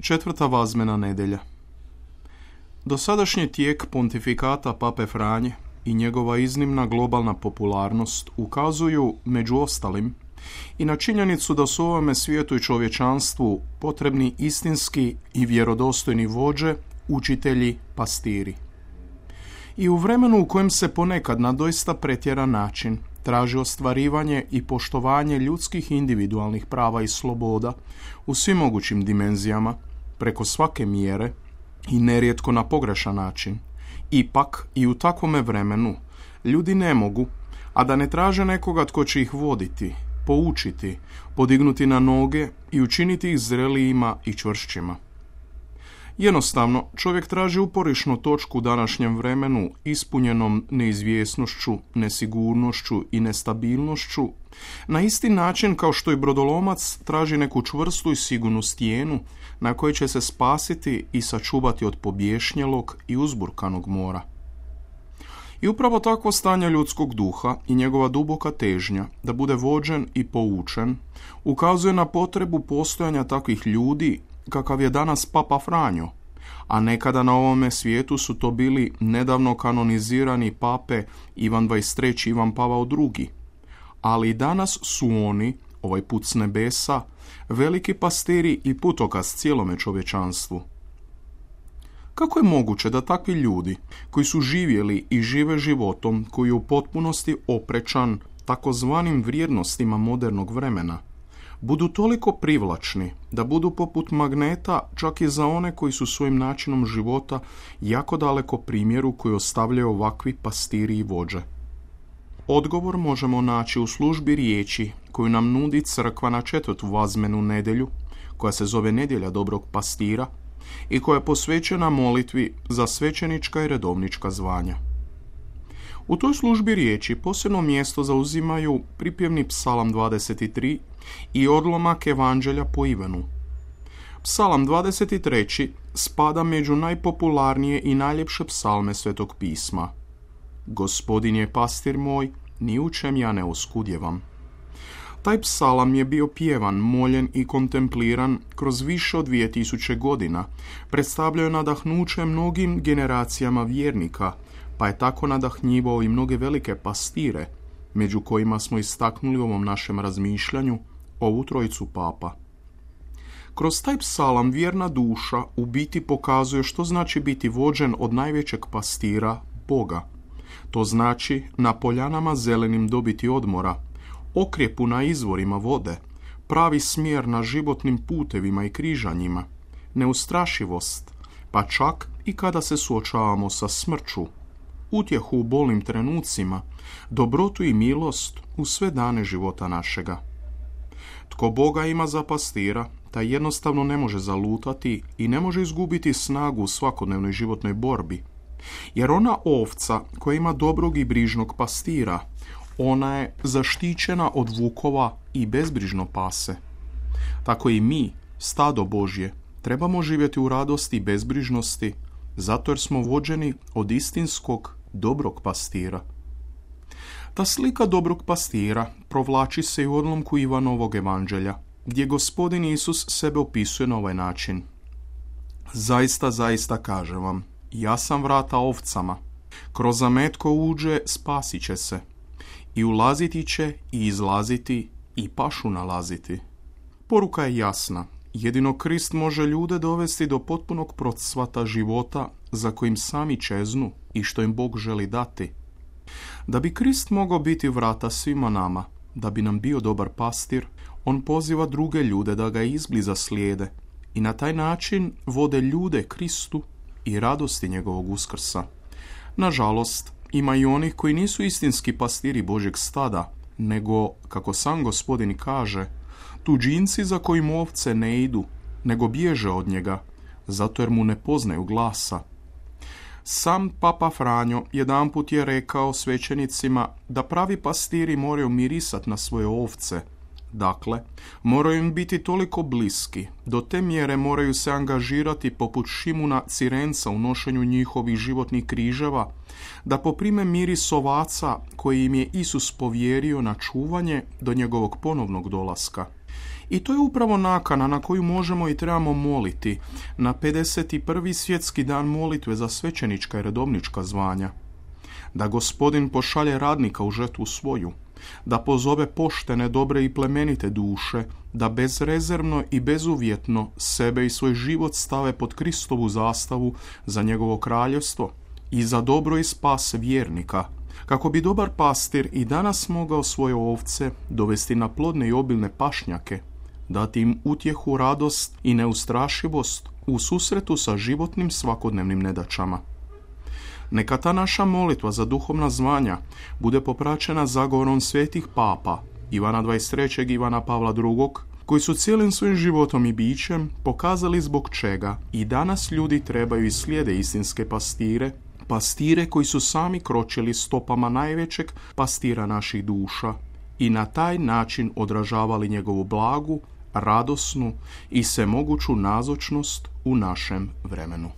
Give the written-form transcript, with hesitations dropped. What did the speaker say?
Četvrta vazmena nedjelja. Dosadašnji tijek pontifikata Pape Franje i njegova iznimna globalna popularnost ukazuju, među ostalim, i na činjenicu da su ovome svijetu i čovječanstvu potrebni istinski i vjerodostojni vođe, učitelji, pastiri. I u vremenu u kojem se ponekad na doista pretjeran način traži ostvarivanje i poštovanje ljudskih individualnih prava i sloboda u svim mogućim dimenzijama, preko svake mjere i nerijetko na pogrešan način, ipak i u takvome vremenu ljudi ne mogu, a da ne traže nekoga tko će ih voditi, poučiti, podignuti na noge i učiniti ih zrelijima i čvršćima. Jednostavno, čovjek traži uporišnu točku u današnjem vremenu ispunjenom neizvjesnošću, nesigurnošću i nestabilnošću, na isti način kao što i brodolomac traži neku čvrstu i sigurnu stijenu na kojoj će se spasiti i sačuvati od pobješnjelog i uzburkanog mora. I upravo takvo stanje ljudskog duha i njegova duboka težnja da bude vođen i poučen ukazuje na potrebu postojanja takvih ljudi kakav je danas Papa Franjo, a nekada na ovome svijetu su to bili nedavno kanonizirani pape Ivan XXIII i Ivan Pavao II. Ali i danas su oni, ovaj put s nebesa, veliki pastiri i putokaz cijelome čovječanstvu. Kako je moguće da takvi ljudi, koji su živjeli i žive životom koji je u potpunosti oprečan takozvanim vrijednostima modernog vremena, budu toliko privlačni da budu poput magneta čak i za one koji su svojim načinom života jako daleko primjeru koji ostavljaju ovakvi pastiri i vođe? Odgovor možemo naći u službi riječi koju nam nudi crkva na četvrtu vazmenu nedjelju, koja se zove Nedjelja dobrog pastira i koja je posvećena molitvi za svećenička i redovnička zvanja. U toj službi riječi posebno mjesto zauzimaju pripjevni psalam 23 i odlomak Evanđelja po Ivanu. Psalam 23 spada među najpopularnije i najljepše psalme Svetog pisma. Gospodin je pastir moj, ni u čem ja ne oskudjevam. Taj psalam je bio pjevan, moljen i kontempliran kroz više od 2000 godina, predstavljao je nadahnuće mnogim generacijama vjernika, pa je tako nadahnjivao i mnoge velike pastire, među kojima smo istaknuli u ovom našem razmišljanju ovu trojicu papa. Kroz taj psalam vjerna duša u biti pokazuje što znači biti vođen od najvećeg pastira, Boga. To znači na poljanama zelenim dobiti odmora, okrjepu na izvorima vode, pravi smjer na životnim putevima i križanjima, neustrašivost, pa čak i kada se suočavamo sa smrću, utjehu u bolnim trenucima, dobrotu i milost u sve dane života našega. Tko Boga ima za pastira, taj jednostavno ne može zalutati i ne može izgubiti snagu u svakodnevnoj životnoj borbi. Jer ona ovca koja ima dobrog i brižnog pastira, ona je zaštićena od vukova i bezbrižno pase. Tako i mi, stado Božje, trebamo živjeti u radosti i bezbrižnosti, zato jer smo vođeni od istinskog dobrog pastira. Ta slika dobrog pastira provlači se i u odlomku Ivanovog evanđelja, gdje Gospodin Isus sebe opisuje na ovaj način. Zaista, zaista kažem vam, ja sam vrata ovcama. Kroz zamet ko uđe, spasit će se. I ulaziti će i izlaziti i pašu nalaziti. Poruka je jasna. Jedino Krist može ljude dovesti do potpunog procvata života za kojim sami čeznu i što im Bog želi dati. Da bi Krist mogao biti vrata svima nama, da bi nam bio dobar pastir, on poziva druge ljude da ga izbliza slijede i na taj način vode ljude Kristu i radosti njegovog uskrsa. Nažalost, ima i onih koji nisu istinski pastiri Božjeg stada, nego, kako sam Gospodin kaže, tuđinci za kojim ovce ne idu, nego bježe od njega, zato jer mu ne poznaju glasa. Sam Papa Franjo jedanput je rekao svećenicima da pravi pastiri moraju mirisati na svoje ovce. Dakle, moraju im biti toliko bliski, do te mjere moraju se angažirati poput Šimuna Cirenca u nošenju njihovih životnih križeva, da poprime miris ovaca koji im je Isus povjerio na čuvanje do njegovog ponovnog dolaska. I to je upravo nakana na koju možemo i trebamo moliti na 51. svjetski dan molitve za svećenička i redovnička zvanja. Da Gospodin pošalje radnika u žetvu svoju, da pozove poštene, dobre i plemenite duše, da bezrezervno i bezuvjetno sebe i svoj život stave pod Kristovu zastavu za njegovo kraljevstvo i za dobro i spas vjernika, kako bi dobar pastir i danas mogao svoje ovce dovesti na plodne i obilne pašnjake, dati im utjehu, radost i neustrašivost u susretu sa životnim svakodnevnim nedaćama. Neka ta naša molitva za duhovna zvanja bude popraćena zagovorom svetih papa Ivana XXIII i Ivana Pavla II, koji su cijelim svojim životom i bićem pokazali zbog čega i danas ljudi trebaju i slijede istinske pastire koji su sami kročili stopama najvećeg pastira naših duša i na taj način odražavali njegovu blagu, radosnu i svemoguću nazočnost u našem vremenu.